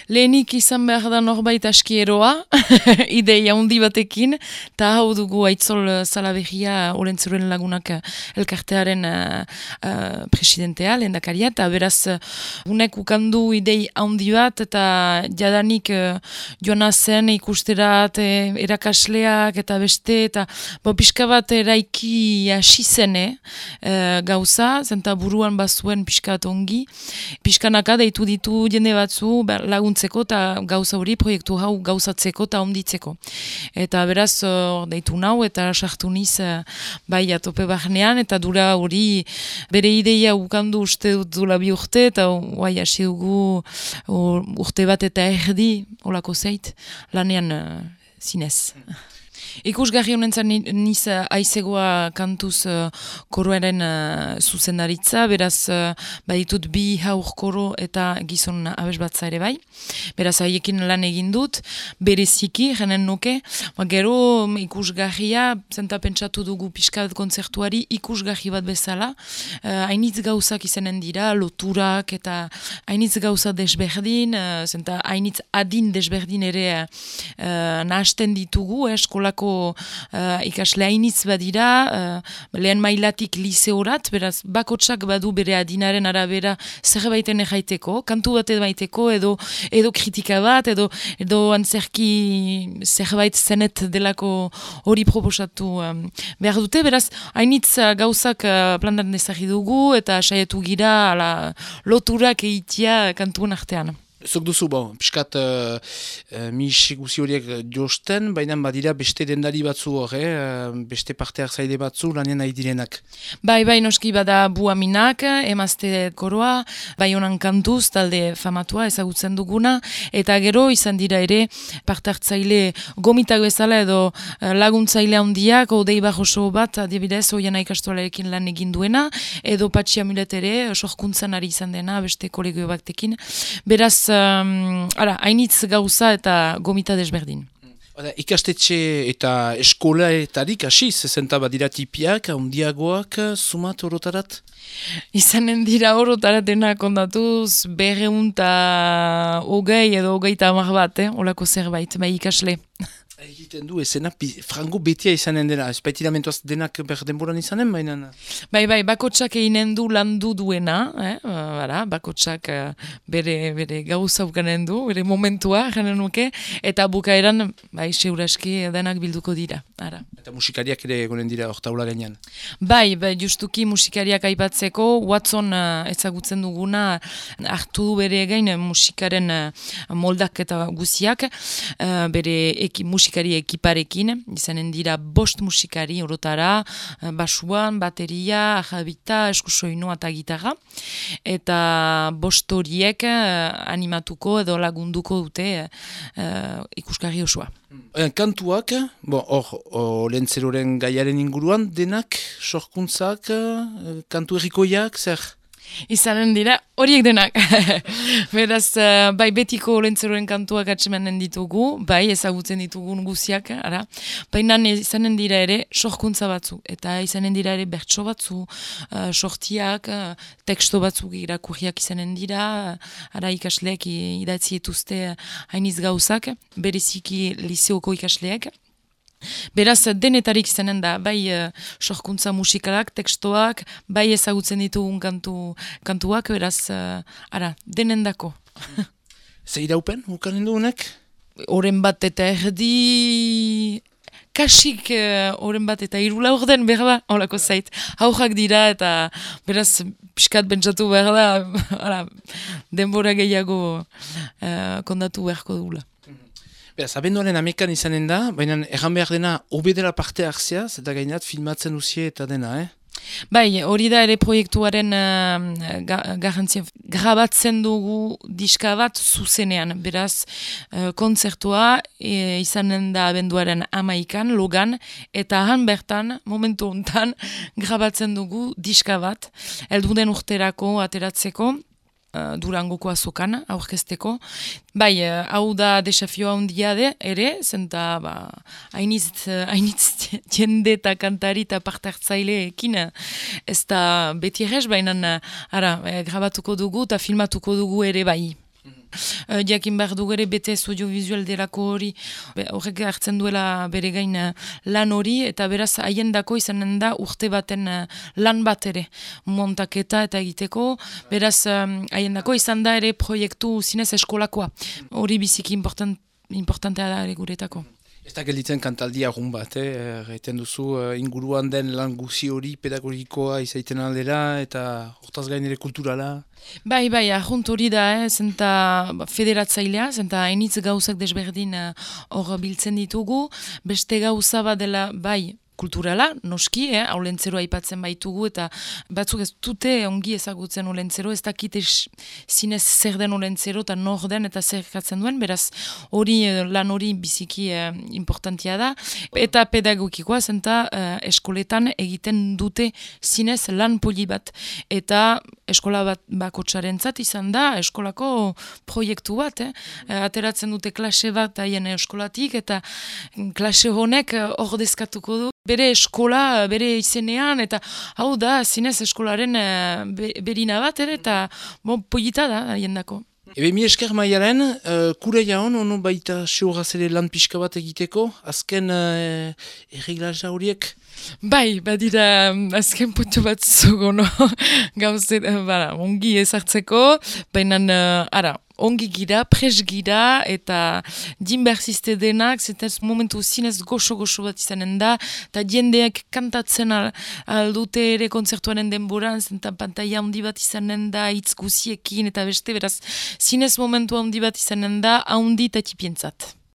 Lehenik izan behar da norbait askieroa, ideia handi batekin, eta hau dugu Aitzol Salaberria Olentzuren Lagunak elkartearen presidentea, lehendakaria, eta beraz unek ukandu idei handi bat, eta jadanik joana zen ikusterat erakasleak eta beste, eta pixka bat eraiki hasi zene gauza, zenta buruan bazuen pixka bat ongi, pixkanaka deitu ditu jende batzu laguntzeko eta gauza hori proiektu hau gauzatzeko eta onditzeko. Eta beraz deitu nau eta sartu niz bai atope barnean eta dura hori bere ideia ukandu uste dut dula 2 urte eta guai hasi dugu urte bat eta erdi olako zeit lanean zinez. Ikusgarri honen zan niz aizegoa kantuz koroaren zuzendaritza, beraz baditut 2 haur koro eta gizon abes batza ere bai. Beraz haiekin lan egin dut, bereziki, jenen nuke, gero ikusgarria, zenta pentsatu dugu pixkat kontzertuari ikusgarri bat bezala, hainitz gauzak izanen dira, loturak eta hainitz gauza desberdin, zenta hainitz adin desberdin ere nahasten ditugu, eskolako ikasle hainitz badira, lehen mailatik liseorat, beraz bakotsak badu bere adinaren arabera zerbaiten erraiteko, kantu bat baiteko, edo kritika bat, edo antzerki zerbait zenet delako hori proposatu behar dute, beraz hainitz gauzak plantan ezagri dugu, eta saietu gira loturak eitia kantuen artean. Zok duzu, piskat mis guzi horiek josten, baina badira beste dendari batzu hor, beste parte hartzaile batzu lanean nahi direnak. Bai, noski bada Buaminak, emazte koroa, bai honan kantuz, talde famatua ezagutzen duguna, eta gero izan dira ere parte hartzaile gomitak bezala edo laguntzaile handiak, odei barroso bat, adibidez, oiana ikastualarekin lan egin duena, edo Patxi Amulet ere, sorkuntzan ari izan dena, beste kolegio batekin. Beraz, hainitz gauza eta gomita desberdin. Ikastetxe eta eskolaetarik hasiz, zenta badira tipiak, handiagoak, sumat orotarat? Izanen dira orotaratenak ondatuz 220 edo 30 bat, olako zerbait, bai ikasle. Egiten du, ezena frango betia izanen dena, ez baitidamentoaz denak denboran izanen, baina? Bai, bakotsak eginen du landu duena, bakotsak bere gauza ukanen du, bere momentua, janen nuke, eta bukaeran, seuraski denak bilduko dira. Ara. Eta musikariak ere egonen dira ortaula gainean? Bai, justuki musikariak aipatzeko, Watson ezagutzen duguna, hartu du bere egin musikaren moldak eta guziak, bere musikari ekiparekin, izanen dira 5 musikari orotara, basuan, bateria, ajabita, eskusoinoa eta gitarra, eta 5 horiek animatuko edo lagunduko dute ikusgarri osoa. Kantuak, hor Olentzeroren gaiaren inguruan, denak, sorkuntzak, kantu errikoiak, zer? Izanen dira horiek denak. Beraz, bai betiko Olentzeroren kantuak atsemanen ditugu, bai ezagutzen ditugun guziak, baina izanen dira ere sorkuntza batzu, eta izanen dira ere bertso batzu, sortiak, teksto batzuk irakurriak izanen dira, ikasleek idatzi etuzte hainiz gauzak, bereziki liseoko ikasleek. Beraz, denetarik izanen da, bai sorkuntza musikalak, tekstoak, bai ezagutzen ditugun kantuak, beraz, denendako. Ze iraupen, ukanen dugunek? Oren bat eta erdi... Kasik oren bat eta 3 laurden behar da, holako zait. Haujak dira eta beraz piskat bentsatu behar da, denbora gehiago kondatu beharko dugula. Beraz, abenduaren 11 izanen da, baina erran behar dena obedera parte hartzea, eta gainat filmatzen usie eta dena, Bai, hori da ere proiektuaren garrantzia. Grabatzen dugu diska bat zuzenean, beraz kontzertua izanen da abenduaren 11 logan, eta han bertan, momentu hontan, grabatzen dugu diska bat, helduden urterako ateratzeko, Durangoko azokan aurkezteko. Bai, hau da desafioa handia ere, zenta hainitz jende eta kantari eta parte hartzaileekin ez da beti errez, baina grabatuko dugu eta filmatuko dugu ere bai. jakin behar du gere BTS audiovisual delako hori, horrek hartzen duela bere gain lan hori, eta beraz haiendako izanen da urte baten lan bat ere, montaketa eta egiteko, beraz haiendako izan da ere proiektu zinez eskolakoa, hori biziki importantea da ere guretako. Ez da gelditzen kantaldi agun bat, gaiten duzu inguruan den lan guzi hori pedagogikoa izaiten aldera eta hortaz gain ere kulturala. Bai, ahunt hori da, zenta federatzailea, zenta hainitz gauzak desberdin hor biltzen ditugu, beste gauza bat dela, bai, kulturala, noski, aulentzero aipatzen baitugu, eta batzuk ez dute ongi ezagutzen aulentzero, ez dakite zinez zer den aulentzero, eta nor den, eta zer katzen duen, beraz hori lan hori biziki importantia da, eta pedagogikoa zenta eskoletan egiten dute zinez lan poli bat, eta eskola bat bakotxarentzat izan da, eskolako proiektu bat, ateratzen dute klase bat haien eskolatik, eta klase honek ordezkatuko du, bere eskola, bere izenean, eta hau da, zinez eskolaren berina bat, eta polita da, haiendako. Ebe mi esker maialen, kure jaun, ono baita seuraz ere lan pixka bat egiteko, azken erreglaja horiek? Bai, badira azken puntu bat zugono, gauzet, ongi ezartzeko, baina, ongi gira, pres gira, eta dinberziste denak, zetaz momentu zinez goxo-goxo bat izanen da, eta jendeak kantatzen aldute ere kontzertuaren denboran, zenta pantaia handi bat izanen da, hitz guziekin, eta beste, beraz, zinez momentu handi bat izanen da, handi eta tipientzat.